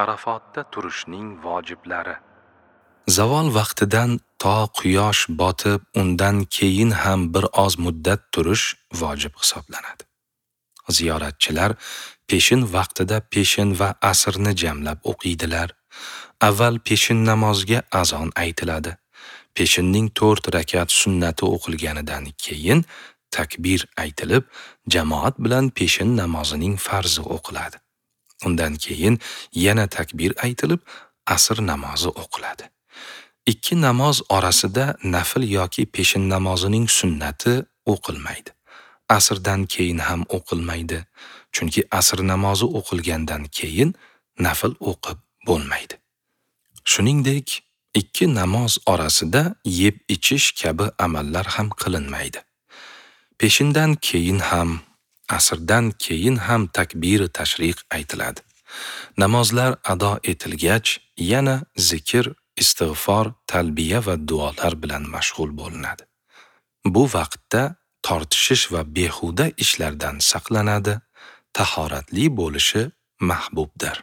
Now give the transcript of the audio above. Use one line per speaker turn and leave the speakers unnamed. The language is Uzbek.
Arafotda turishning vojiblari. Zavol vaqtidan to quyosh botib, undan keyin ham bir oz muddat turish vojib hisoblanadi. Ziyoratchilar peshin vaqtida peshin va asrni jamlab o'qiydilar. Avval peshin namoziga azon aytiladi. Peshinning 4 rakat sunnati o'qilganidan keyin takbir aytilib, jamoat bilan peshin namozining farzi o'qiladi. Undan keyin yana takbir aytilib, asr namozi o'qiladi. Ikki namoz orasida nafl yoki peshin namozining sunnati o'qilmaydi. Asrdan keyin ham o'qilmaydi, chunki asr namozi o'qilgandan keyin nafl o'qib bo'lmaydi. Shuningdek, ikki namoz orasida yeb ichish kabi amallar ham qilinmaydi. Peshindan keyin ham, asrdan keyin ham takbir tashriq aytiladi. Namozlar ado etilgach, yana zikr, istig'for, talbiya va duolar bilan mashg'ul bo'linadi. Bu vaqtda tortishish va behuda ishlardan saqlanadi, tahoratli bo'lishi mahbubdir.